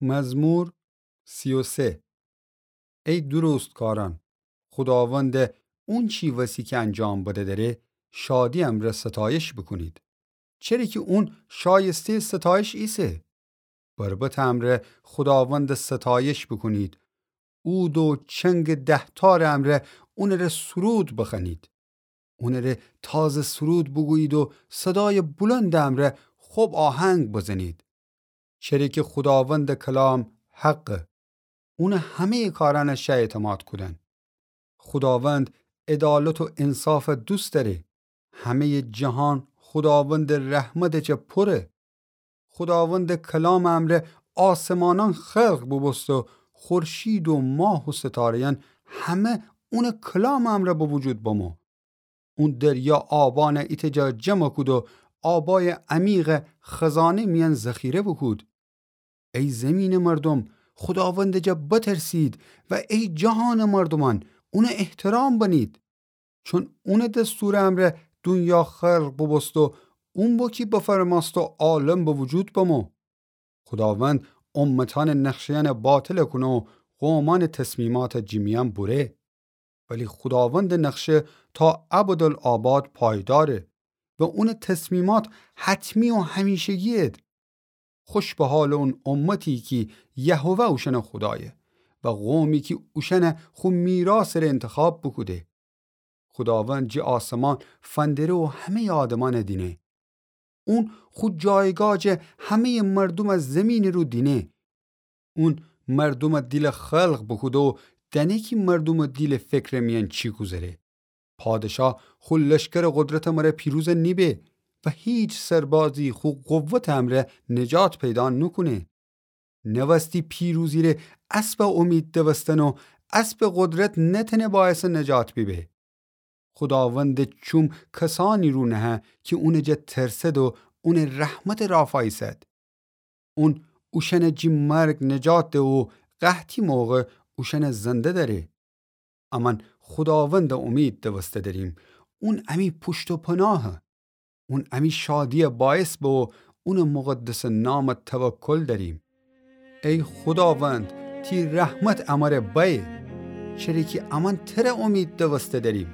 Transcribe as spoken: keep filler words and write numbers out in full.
مزمور سی و سه. ای درستکاران، خوداوند اونچی وسی کی انجام بده دره، شادی امرأ ستایش بوکونید. چره کی اون شایسته‌ی ستایش ایسه. بربطٚ امرأ خوداوند ستایش بوکونید. عود و چنگٚ دهتارٚ امرأ اونٚره سرود بخوأنید. اونٚره تازه سرود بوگویید و صدایٚ بلندٚ امرأ خب آهنگ بزنید. چره کی خوداوندٚ کلام حقه. اونٚ همه‌یٚ کارأنَ شه اعتماد کودن. خوداوند عدالت و انصافَ دوست دأره. همه‌یٚ جهان خوداوندٚ رحمتٚ جا پره. خوداوندٚ کلامٚ امرأ آسمانأن خلق بوبوسته و خورشید و ماه و ستاره‌یأن همه اونٚ کلامٚ امرأ به وجود بمو. اون دریا آبأنَ ایتأ جا جمع کود و آبایٚ عمیقَ خزانه میأن ذخیره بوکود. ای زیمینٚ مردوم، خوداوندٚ جا بترسید و ای جهانٚ مردومأن، اونَ احترام بنید. چون اونٚ دستورٚ امرأ دونیا خلق بوبوست و اون بو کی بفرمأست و عالم به وجود بمو. خوداوند امتأنٚ نقشه‌یأنَ باطل کونه و قومأنٚ تصمیماتَ جٚه میأن بوره. ولی خوداوندٚ نقشه تا ابدالآباد پایداره و اونٚ تصمیمات حتمی و همیشگی‌یید. خوش به حالٚ اون امتی کی یهوه اوشأنٚ خودایه و قومی کی اوشأنَ خو میراثٚ ره انتخاب بوکوده. خوداوند جٚه آسمان فندره و همه‌یٚ آدمأنَ دینه. اون خو جایگاه جٚه همه‌یٚ مردومَ زیمینٚ رو دینه. اون مردومٚ دیلَ خلق بوکوده و دأنه کی مردومٚ دیلٚ فکرٚ میأن چی گوذره. پادشاه خو لشکرٚ قدرتٚ مرأ پیروز نیبه و هیچ سربازی خو قوتٚ امرأ نجات پیدا نوکونه. نوستی پیروزی ره اسبَ امید دوستن و اسبٚ قدرت نتأنه باعثٚ نجات بیبه. خوداوندٚ چوم کسأنی رو نهه کی اونٚ جا ترسد و اونٚ رحمتٚ رافاییسد. اون اوشأنَ جٚه مرگ نجات ده و قحطی موقع اوشأنَ زنده دأره. امأن خوداوندَ امید دوسته دأریم. اون امی پوشت و پناهه. اون امی شادی‌یَ باعث به و اونٚ مقدسٚ نامَ توکل دأریم. ای خوداوند، تی رحمت امره بأیه، چره کی امأن تره امید دوسته دأریم.